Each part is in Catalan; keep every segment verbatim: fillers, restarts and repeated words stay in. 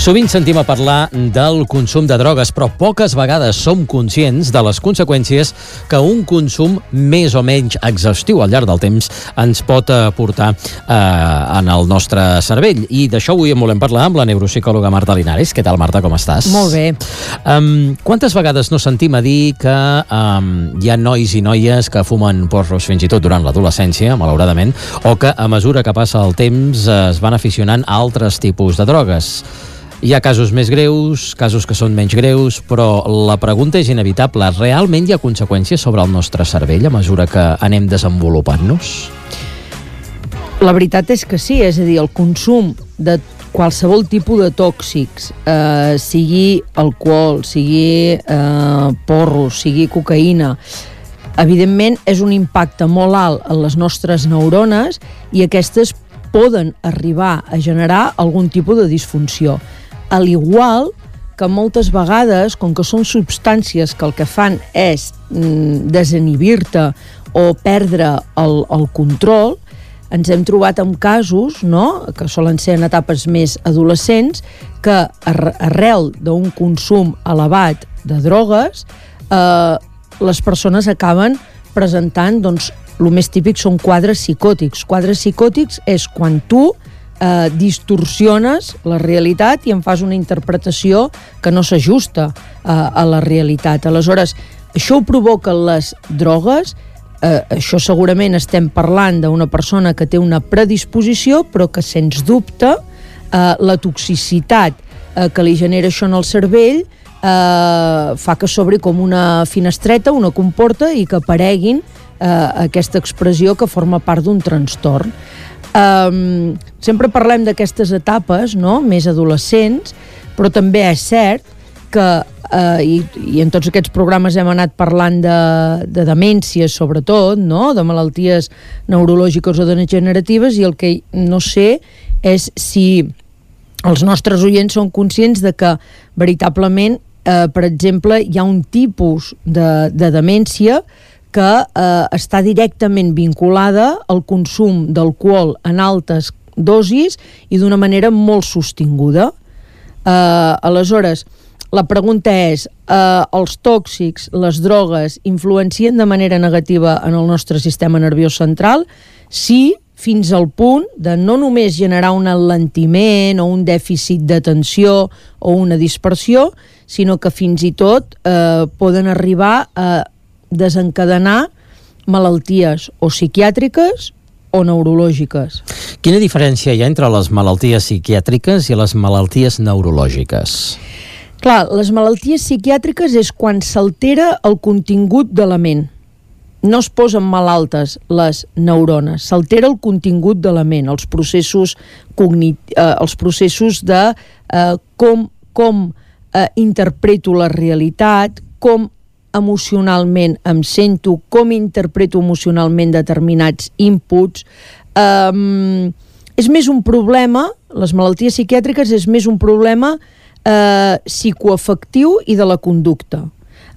Sovint sentim a parlar del consum de drogues, però poques vegades som conscients de les conseqüències que un consum més o menys exhaustiu al llarg del temps ens pot aportar eh, en el nostre cervell. I d'això avui en volem parlar amb la neuropsicòloga Marta Linares. Què tal, Marta, com estàs? Molt bé. Um, quantes vegades no sentim a dir que um, hi ha nois i noies que fumen porros fins i tot durant l'adolescència, malauradament, o que a mesura que passa el temps es van aficionant a altres tipus de drogues? Hi ha casos més greus, casos que són menys greus, però la pregunta és inevitable. Realment hi ha conseqüències sobre el nostre cervell a mesura que anem desenvolupant-nos? La veritat és que sí, és a dir, el consum de qualsevol tipus de tòxics, eh, sigui alcohol, sigui eh, porros, sigui cocaïna, evidentment és un impacte molt alt en les nostres neurones i aquestes poden arribar a generar algun tipus de disfunció. Al igual que moltes vegades, com que són substàncies que el que fan és mm, desinhibir-te o perdre el, el control, ens hem trobat amb casos, no?, que solen ser en etapes més adolescents, que arrel d'un consum elevat de drogues, eh, les persones acaben presentant, doncs, el més típic són quadres psicòtics. Quadres psicòtics és quan tu eh, distorsiones la realitat i en fas una interpretació que no s'ajusta eh, a la realitat. Aleshores, això ho provoquen les drogues. Eh, això segurament estem parlant d'una persona que té una predisposició, però que, sens dubte, eh, la toxicitat eh, que li genera això en el cervell eh, fa que s'obri com una finestreta, una comporta, i que apareguin eh, aquesta expressió que forma part d'un trastorn. Um, sempre parlem d'aquestes etapes, no?, més adolescents, però també és cert que, uh, i, i en tots aquests programes hem anat parlant de, de demències sobretot, no?, de malalties neurològiques o degeneratives, i el que no sé és si els nostres oients són conscients de que veritablement, uh, per exemple, hi ha un tipus de, de demència que eh, està directament vinculada al consum d'alcohol en altes dosis i d'una manera molt sostinguda. Eh, aleshores, la pregunta és, eh, els tòxics, les drogues, influencien de manera negativa en el nostre sistema nerviós central? Sí, fins al punt de no només generar un alentiment o un dèficit d'atenció o una dispersió, sinó que fins i tot eh, poden arribar a desencadenar malalties o psiquiàtriques o neurològiques. Quina diferència hi ha entre les malalties psiquiàtriques i les malalties neurològiques? Clar, les malalties psiquiàtriques és quan s'altera el contingut de la ment. No es posen malaltes les neurones, s'altera el contingut de la ment, els processos cognit- eh, els processos de eh, com, com eh, interpreto la realitat, com emocionalment em sento, com interpreto emocionalment determinats inputs. Um, és més un problema, les malalties psiquiàtriques és més un problema eh, psicoafectiu i de la conducta.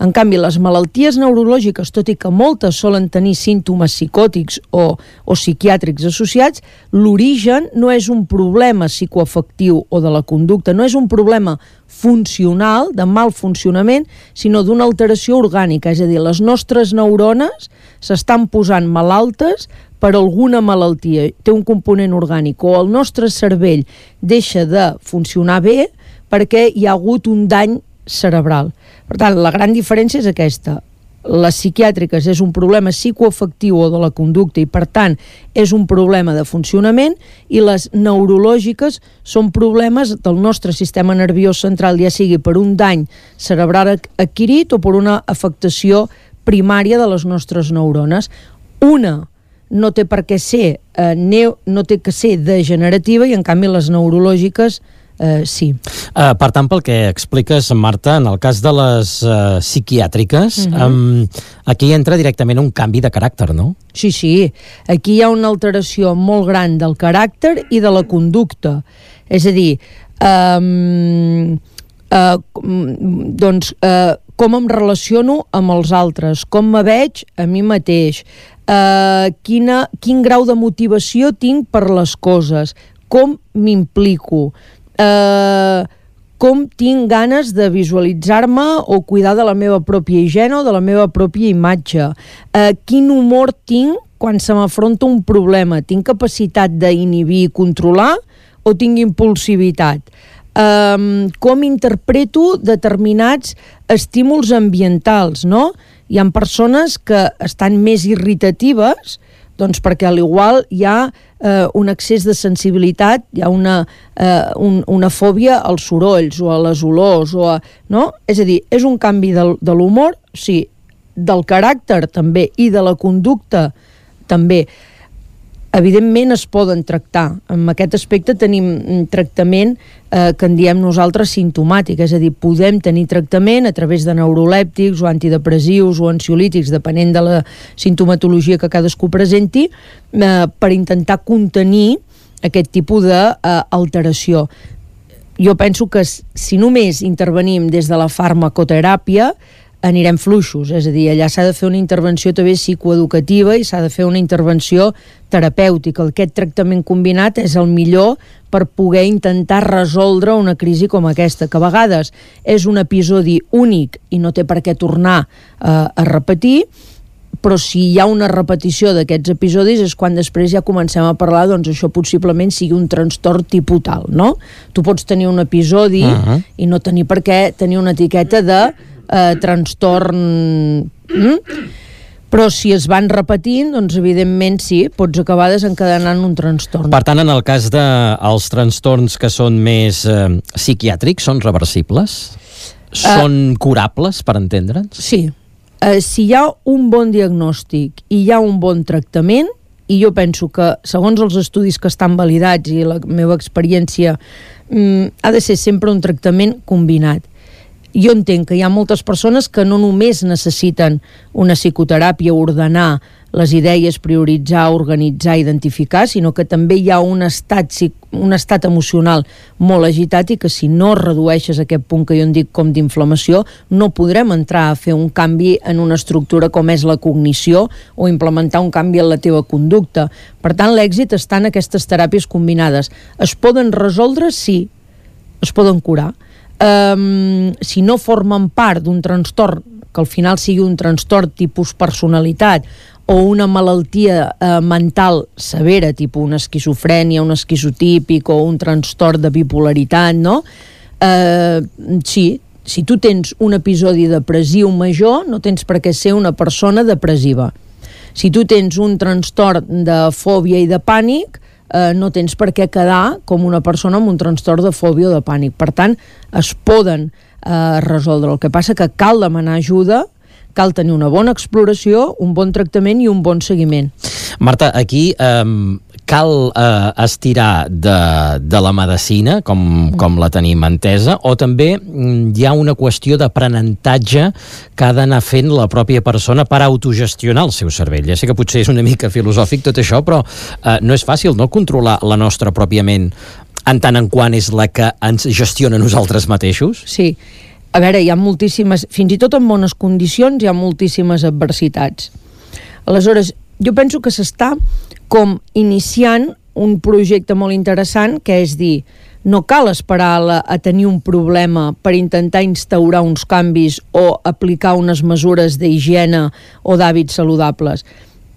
En canvi, les malalties neurològiques, tot i que moltes solen tenir símptomes psicòtics o, o psiquiàtrics associats, l'origen no és un problema psicoafectiu o de la conducta, no és un problema funcional, de mal funcionament, sinó d'una alteració orgànica, és a dir, les nostres neurones s'estan posant malaltes per alguna malaltia, té un component orgànic, o el nostre cervell deixa de funcionar bé perquè hi ha hagut un dany cerebral. Per tant, la gran diferència és aquesta. Les psiquiàtriques és un problema psicoafectiu o de la conducta i, per tant, és un problema de funcionament, i les neurològiques són problemes del nostre sistema nerviós central, ja sigui per un dany cerebral adquirit o per una afectació primària de les nostres neurones. Una no té per què ser, eh, neo, no té que ser degenerativa, i en canvi les neurològiques Uh, sí. Uh, per tant, pel que expliques, Marta, en el cas de les uh, psiquiàtriques, uh-huh. um, aquí entra directament un canvi de caràcter, no? Sí, sí. Aquí hi ha una alteració molt gran del caràcter i de la conducta. És a dir, um, uh, doncs, uh, com em relaciono amb els altres, com me veig a mi mateix, uh, quina, quin grau de motivació tinc per les coses, com m'implico, Uh, com tinc ganes de visualitzar-me o cuidar de la meva pròpia higiene o de la meva pròpia imatge. Eh, quin humor tinc quan se m'afronta un problema? Tinc capacitat d'inhibir i controlar o tinc impulsivitat? Eh, com interpreto determinats estímuls ambientals, no? Hi ha persones que estan més irritatives doncs perquè a l'igual hi ha eh, un excés de sensibilitat, hi ha una, eh, un, una fòbia als sorolls o a les olors, o a, no? És a dir, és un canvi del, de l'humor, sí, del caràcter també i de la conducta també. Evidentment es poden tractar. En aquest aspecte tenim un tractament eh, que en diem nosaltres simptomàtic, és a dir, podem tenir tractament a través de neurolèptics o antidepressius o ansiolítics, depenent de la simptomatologia que cadascú presenti, eh, per intentar contenir aquest tipus d'alteració. Jo penso que si només intervenim des de la farmacoteràpia, anirem fluixos, és a dir, allà s'ha de fer una intervenció també psicoeducativa i s'ha de fer una intervenció terapèutica. Aquest tractament combinat és el millor per poder intentar resoldre una crisi com aquesta, que a vegades és un episodi únic i no té per què tornar eh, a repetir, però si hi ha una repetició d'aquests episodis és quan després ja comencem a parlar, doncs això possiblement sigui un trastorn tipus tal, no? Tu pots tenir un episodi uh-huh. i no tenir per què tenir una etiqueta de Eh, trastorn, mm? però si es van repetint, doncs evidentment sí, pots acabar desencadenant un trastorn. Per tant, en el cas dels de trastorns que són més eh, psiquiàtrics, són reversibles? Són uh, curables, per entendre'ns? Sí. Uh, si hi ha un bon diagnòstic i hi ha un bon tractament, i jo penso que, segons els estudis que estan validats i la meva experiència, mm, ha de ser sempre un tractament combinat. Jo entenc que hi ha moltes persones que no només necessiten una psicoteràpia, ordenar les idees, prioritzar, organitzar, identificar, sinó que també hi ha un estat, un estat emocional molt agitat i que si no redueixes aquest punt que jo en dic com d'inflamació, no podrem entrar a fer un canvi en una estructura com és la cognició o implementar un canvi en la teva conducta. Per tant, l'èxit està en aquestes teràpies combinades. Es poden resoldre? Sí. Es poden curar. Um, si no formen part d'un trastorn, que al final sigui un trastorn tipus personalitat o una malaltia uh, mental severa, tipus una esquizofrènia, un esquizotípic o un trastorn de bipolaritat, no? Uh, sí, si tu tens un episodi depressiu major, no tens per què ser una persona depressiva. Si tu tens un trastorn de fòbia i de pànic, Eh, no tens per què quedar com una persona amb un trastorn de fòbia o de pànic. Per tant, es poden eh, resoldre. El que passa que cal demanar ajuda, cal tenir una bona exploració, un bon tractament i un bon seguiment. Marta, aquí eh, cal eh, estirar de, de la medicina, com, com la tenim entesa, o també hi ha una qüestió d'aprenentatge que ha d'anar fent la pròpia persona per autogestionar el seu cervell. Ja sé que potser és una mica filosòfic tot això, però eh, no és fàcil, no?, controlar la nostra pròpia ment en tant en quant és la que ens gestiona nosaltres mateixos? Sí. A veure, hi ha moltíssimes, fins i tot en bones condicions, hi ha moltíssimes adversitats. Aleshores, jo penso que s'està com iniciant un projecte molt interessant, que és dir, no cal esperar a, a tenir un problema per intentar instaurar uns canvis o aplicar unes mesures d'higiene o d'hàbits saludables.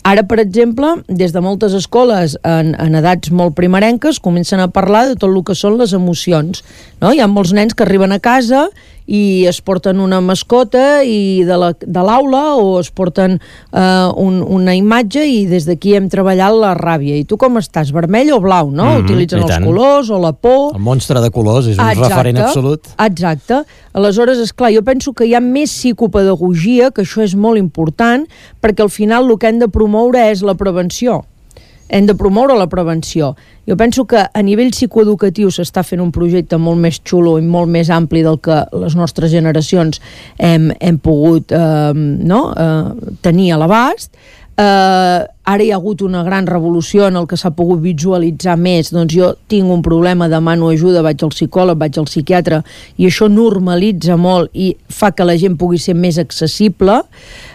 Ara, per exemple, des de moltes escoles en, en edats molt primerenques comencen a parlar de tot el que són les emocions, no? Hi ha molts nens que arriben a casa i es porten una mascota i de la, de l'aula o es porten uh, un, una imatge i des d'aquí hem treballat la ràbia. I tu com estàs? Vermell o blau, no? Mm-hmm, utilitzen els colors o la por. El monstre de colors és un Exacte. referent absolut. Exacte. Aleshores, esclar, jo penso que hi ha més psicopedagogia, que això és molt important, perquè al final el que hem de promoure és la prevenció. Hem de promoure la prevenció. Jo penso que a nivell psicoeducatiu s'està fent un projecte molt més xulo i molt més ampli del que les nostres generacions hem, hem pogut eh, no? eh, tenir a l'abast. Eh, ara hi ha hagut una gran revolució en el que s'ha pogut visualitzar més. Doncs jo tinc un problema, demano ajuda, vaig al psicòleg, vaig al psiquiatre, i això normalitza molt i fa que la gent pugui ser més accessible.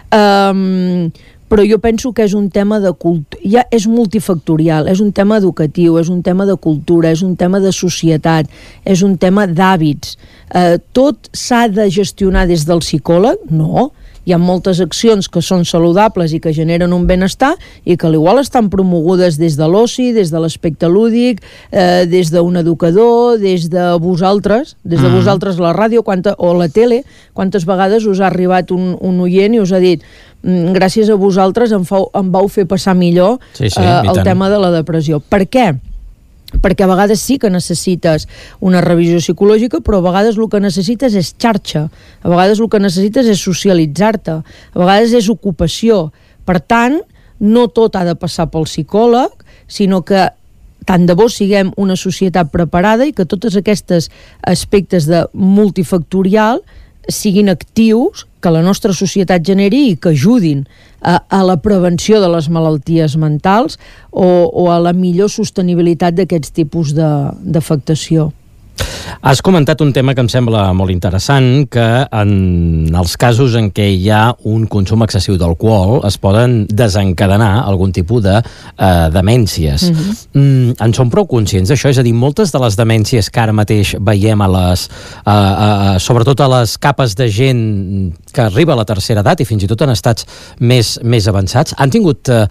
Eh, però jo penso que és un tema de cultura, ja és multifactorial, és un tema educatiu, és un tema de cultura, és un tema de societat, és un tema d'hàbits. Eh, tot s'ha de gestionar des del psicòleg? No. Hi ha moltes accions que són saludables i que generen un benestar i que igual estan promogudes des de l'oci, des de l'aspecte lúdic, eh, des d'un educador, des de vosaltres, des de mm. vosaltres la ràdio quanta, o la tele, quantes vegades us ha arribat un, un oient i us ha dit gràcies a vosaltres em, fau, em vau fer passar millor sí, sí, eh, el tema de la depressió. Per què? Perquè a vegades sí que necessites una revisió psicològica, però a vegades el que necessites és xarxa, a vegades el que necessites és socialitzar-te, a vegades és ocupació. Per tant, no tot ha de passar pel psicòleg, sinó que tant de bo siguem una societat preparada i que tots aquests aspectes de multifactorial siguin actius, que la nostra societat generi i que ajudin a, a la prevenció de les malalties mentals o, o a la millor sostenibilitat d'aquests tipus d'afectació. Has comentat un tema que em sembla molt interessant, que en els casos en què hi ha un consum excessiu d'alcohol es poden desencadenar algun tipus de eh, demències. Mm-hmm. Mm, en som prou conscients d'això? És a dir, moltes de les demències que ara mateix veiem a les, a, a, sobretot a les capes de gent que arriba a la tercera edat i fins i tot en estats més, més avançats, han tingut eh,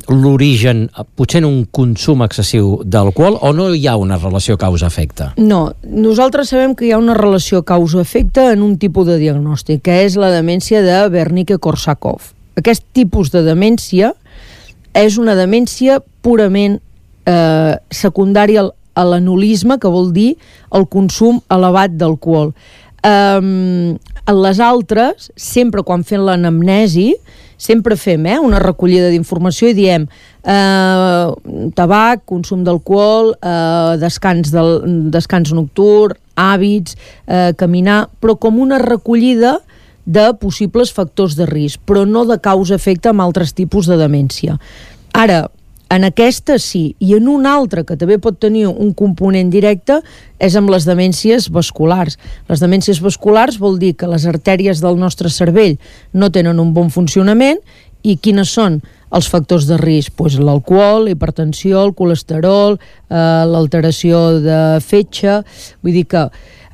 l'origen potser en un consum excessiu d'alcohol o no hi ha una relació causa-efecte? No, nosaltres sabem que hi ha una relació causa-efecte en un tipus de diagnòstic, que és la demència de Wernicke-Korsakoff. Aquest tipus de demència és una demència purament eh, secundària a l'anolisme, que vol dir el consum elevat d'alcohol. Um, les altres, sempre quan fem l'anamnesi, sempre fem eh, una recollida d'informació i diem eh, tabac, consum d'alcohol, eh, descans, del, descans nocturn, hàbits, eh, caminar, però com una recollida de possibles factors de risc, però no de causa-efecte amb altres tipus de demència. Ara, en aquesta sí, i en una altra que també pot tenir un component directe és amb les demències vasculars. Les demències vasculars vol dir que les artèries del nostre cervell no tenen un bon funcionament i quines són els factors de risc? Pues l'alcohol, la hipertensió, el colesterol, eh, l'alteració de fetge, vull dir que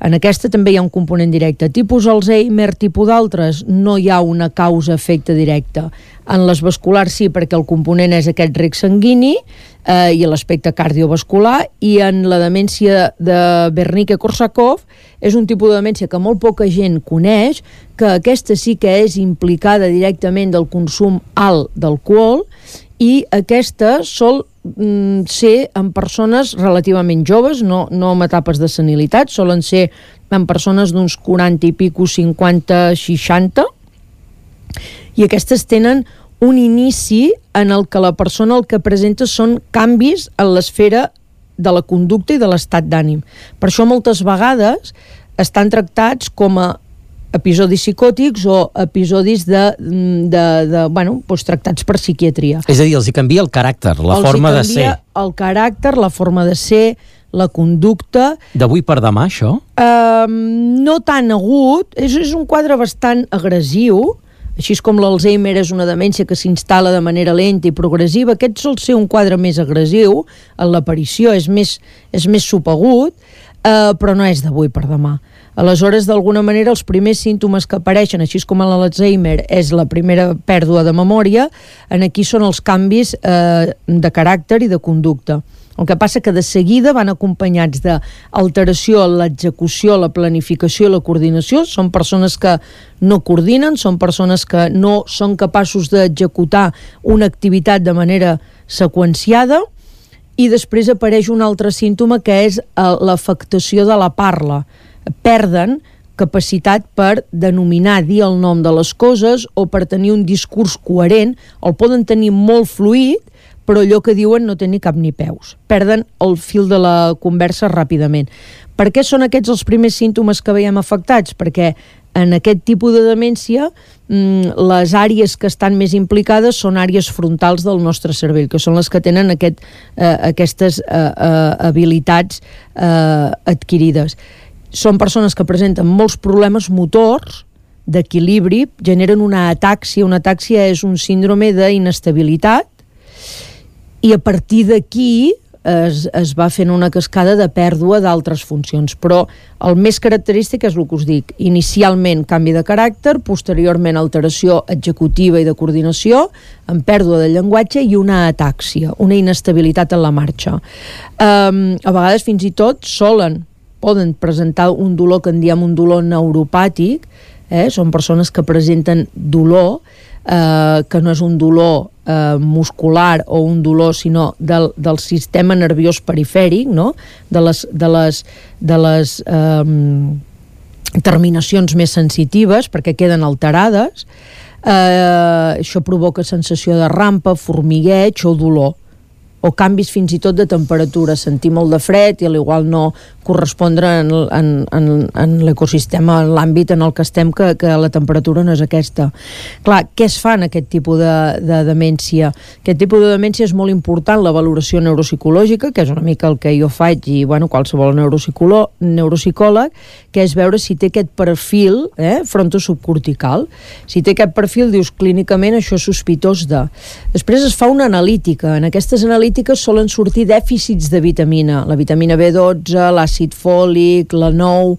en aquesta també hi ha un component directe. Tipus Alzheimer, tipus d'altres, no hi ha una causa-efecte directa. En les vasculars sí, perquè el component és aquest rec sanguini eh, i l'aspecte cardiovascular, i en la demència de Wernicke-Korsakoff és un tipus de demència que molt poca gent coneix, que aquesta sí que és implicada directament del consum alt d'alcohol, i aquesta sol mm, ser en persones relativament joves, no, no en etapes de senilitat, solen ser en persones d'uns quaranta i pico, cinquanta, seixanta, i aquestes tenen un inici en el que la persona el que presenta són canvis en l'esfera de la conducta i de l'estat d'ànim. Per això moltes vegades estan tractats com a episodis psicòtics o episodis de, de, de bueno, doncs tractats per psiquiatria. És a dir, els hi canvia el caràcter, la els forma de ser. El caràcter, la forma de ser, la conducta. D'avui per demà, això? Uh, no tan agut, és, és un quadre bastant agressiu, així com l'Alzheimer és una demència que s'instal·la de manera lenta i progressiva, aquest sol ser un quadre més agressiu, en l'aparició és més, és més subagut, eh, però no és d'avui per demà. Aleshores, d'alguna manera, els primers símptomes que apareixen, així com en l'Alzheimer és la primera pèrdua de memòria, en aquí són els canvis eh, de caràcter i de conducta. El que passa que de seguida van acompanyats d'alteració en l'execució, la planificació i la coordinació. Són persones que no coordinen, són persones que no són capaços d'executar una activitat de manera seqüenciada, i després apareix un altre símptoma que és l'afectació de la parla. Perden capacitat per denominar, dir el nom de les coses o per tenir un discurs coherent. El poden tenir molt fluid, però allò que diuen no té ni cap ni peus. Perden el fil de la conversa ràpidament. Per què són aquests els primers símptomes que veiem afectats? Perquè en aquest tipus de demència les àrees que estan més implicades són àrees frontals del nostre cervell, que són les que tenen aquest, eh, aquestes eh, eh, habilitats eh, adquirides. Són persones que presenten molts problemes motors, d'equilibri, generen una atàxia. Una atàxia és un síndrome d'inestabilitat i a partir d'aquí es, es va fent una cascada de pèrdua d'altres funcions, però el més característic és el que us dic, inicialment canvi de caràcter, posteriorment alteració executiva i de coordinació, amb pèrdua de llenguatge i una atàxia, una inestabilitat en la marxa. Um, a vegades fins i tot solen, poden presentar un dolor que en diem un dolor neuropàtic, eh? Són persones que presenten dolor, eh, que no és un dolor eh, muscular o un dolor, sinó del, del sistema nerviós perifèric, no? de les, de les, de les eh, terminacions més sensitives, perquè queden alterades. Eh, això provoca sensació de rampa, formigueig o dolor, o canvis fins i tot de temperatura, sentir molt de fred i a l'igual no correspondre en, en, en, en l'ecosistema, en l'àmbit en el que estem, que, que la temperatura no és aquesta. Clar, què es fa en aquest tipus de, de demència? Aquest tipus de demència és molt important, la valoració neuropsicològica, que és una mica el que jo faig, i bueno, qualsevol neuropsicòleg, que és veure si té aquest perfil eh, frontosubcortical. Si té aquest perfil, dius clínicament això és sospitós de. Després es fa una analítica. En aquestes analítiques solen sortir dèficits de vitamina, la vitamina B dotze, l'àcid fòlic, la nou,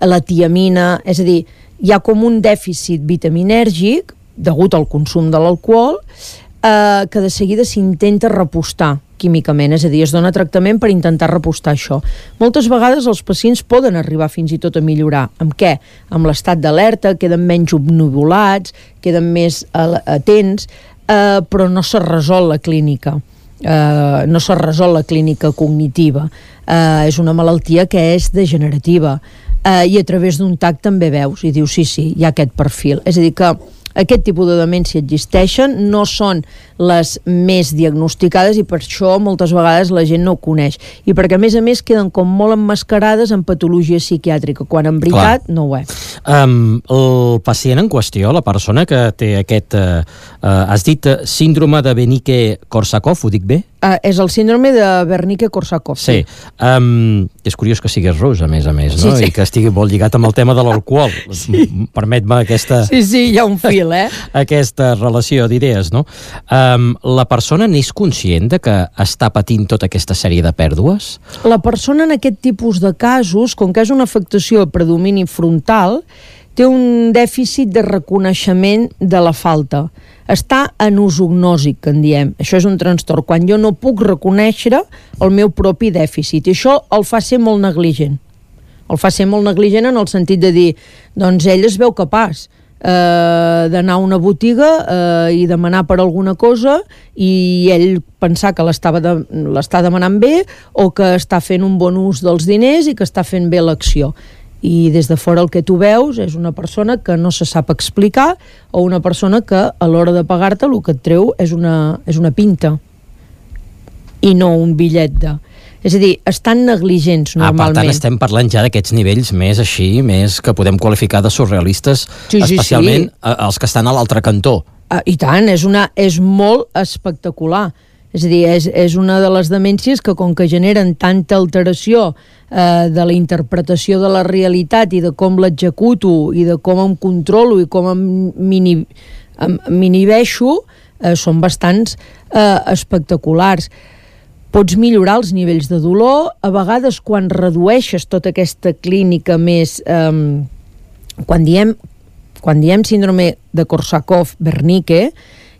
la tiamina, és a dir, hi ha com un dèficit vitaminèrgic degut al consum de l'alcohol eh, que de seguida s'intenta repostar químicament, és a dir, es dona tractament per intentar repostar això. Moltes vegades els pacients poden arribar fins i tot a millorar. Amb què? Amb l'estat d'alerta, queden menys obnubilats, queden més atents, eh, però no s'ha resolt la clínica. Uh, no s'ha resolt la clínica cognitiva, uh, és una malaltia que és degenerativa, uh, i a través d'un tac també veus i dius sí, sí, hi ha aquest perfil, és a dir que aquest tipus de demència existeixen, no són les més diagnosticades i per això moltes vegades la gent no ho coneix, i perquè a més a més queden com molt emmascarades en patologia psiquiàtrica, quan en veritat Clar. no ho és. Um, el pacient en qüestió, la persona que té aquest, uh, uh, has dit uh, síndrome de Wernicke-Korsakoff, ho dic bé? Uh, és el síndrome de Wernicke-Korsakoff. Sí. sí. Um, és curiós que sigués rus, a més a més, no? Sí, sí. I que estigui molt lligat amb el tema de l'alcohol. Sí. Permet-me aquesta... Sí, sí, hi ha un fil, eh? aquesta relació d'idees, no? Um, la persona n'és conscient de que està patint tota aquesta sèrie de pèrdues? La persona en aquest tipus de casos, com que és una afectació de predomini frontal, té un dèficit de reconeixement de la falta. Està anosognòsic, que en diem. Això és un trastorn, quan jo no puc reconèixer el meu propi dèficit. I això el fa ser molt negligent. El fa ser molt negligent en el sentit de dir, doncs ell es veu capaç eh, d'anar a una botiga eh, i demanar per alguna cosa i ell pensar que l'estava de, l'està demanant bé o que està fent un bon ús dels diners i que està fent bé l'acció. I des de fora el que tu veus és una persona que no se sap explicar o una persona que a l'hora de pagar-te el que et treu és una, és una pinta i no un bitllet de... És a dir, estan negligents normalment. Ah, per tant, estem parlant ja d'aquests nivells més així, més que podem qualificar de surrealistes, sí, sí, especialment sí. els que estan a l'altre cantó. Ah, I tant, és, una, és molt espectacular. És a dir, és, és una de les demències que com que generen tanta alteració eh, de la interpretació de la realitat i de com l'executo i de com em controlo i com em m'inhibeixo, eh, són bastants eh, espectaculars. Pots millorar els nivells de dolor, a vegades quan redueixes tota aquesta clínica més... Eh, quan diem, quan diem síndrome de Korsakoff-Wernicke,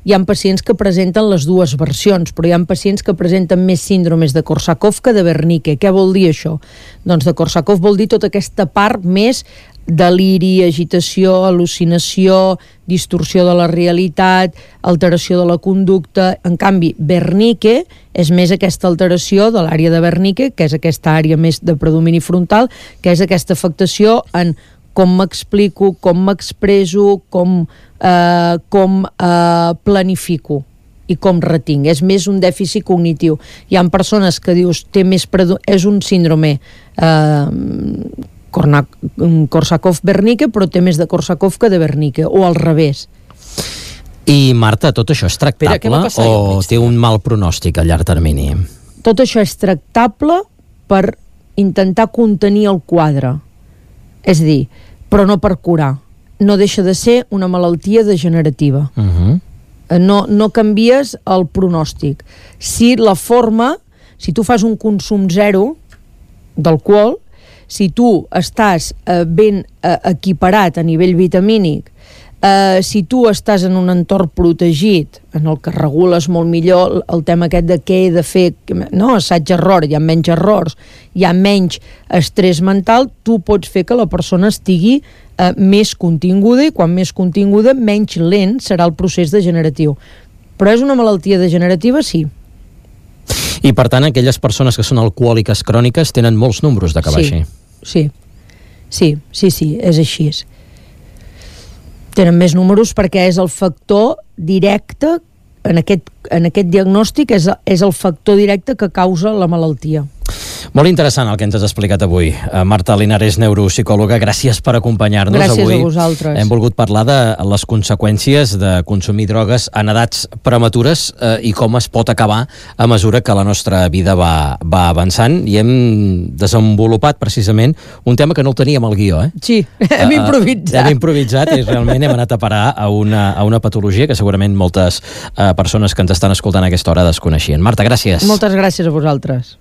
hi ha pacients que presenten les dues versions, però hi ha pacients que presenten més síndromes de Korsakoff que de Wernicke. Què vol dir això? Doncs de Korsakoff vol dir tota aquesta part més deliri, agitació, al·lucinació, distorsió de la realitat, alteració de la conducta. En canvi, Wernicke és més aquesta alteració de l'àrea de Wernicke, que és aquesta àrea més de predomini frontal, que és aquesta afectació en com m'explico, com m'expreso, com, eh, com eh, planifico i com retinc. És més un dèficit cognitiu. Hi ha persones que dius, té més predo- és un síndrome eh, Korsakoff-Wernicke, però té més de Korsakoff que de Wernicke, o al revés. I Marta, tot això és tractable Espera, o té un mal pronòstic a llarg termini? Tot això és tractable per intentar contenir el quadre. És a dir, però no per curar. no deixa de ser una malaltia degenerativa. Uh-huh. No, no canvies el pronòstic. Si la forma, si tu fas un consum zero d'alcohol, si tu estàs eh, ben eh, equiparat a nivell vitamínic, eh, si tu estàs en un entorn protegit, en el que regules molt millor el tema aquest de què he de fer, no, assaig-error, hi ha menys errors, hi ha menys estrès mental, tu pots fer que la persona estigui eh, més continguda, i quan més continguda, menys lent serà el procés degeneratiu. Però és una malaltia degenerativa, sí. I, per tant, aquelles persones que són alcohòliques cròniques tenen molts números d'acabar sí, així. Sí, sí, sí, sí, és així. Tenen més números perquè és el factor directe, en aquest, en aquest diagnòstic, és, és el factor directe que causa la malaltia. Molt interessant el que ens has explicat avui. Uh, Marta Linares, neuropsicòloga, gràcies per acompanyar-nos gràcies avui. Gràcies a vosaltres. Hem volgut parlar de les conseqüències de consumir drogues en edats prematures uh, i com es pot acabar a mesura que la nostra vida va, va avançant, i hem desenvolupat precisament un tema que no el teníem al guió. Eh? Sí, hem uh, improvisat. Hem improvisat i realment hem anat a parar a una, a una patologia que segurament moltes uh, persones que ens estan escoltant a aquesta hora desconeixien. Marta, gràcies. Moltes gràcies a vosaltres.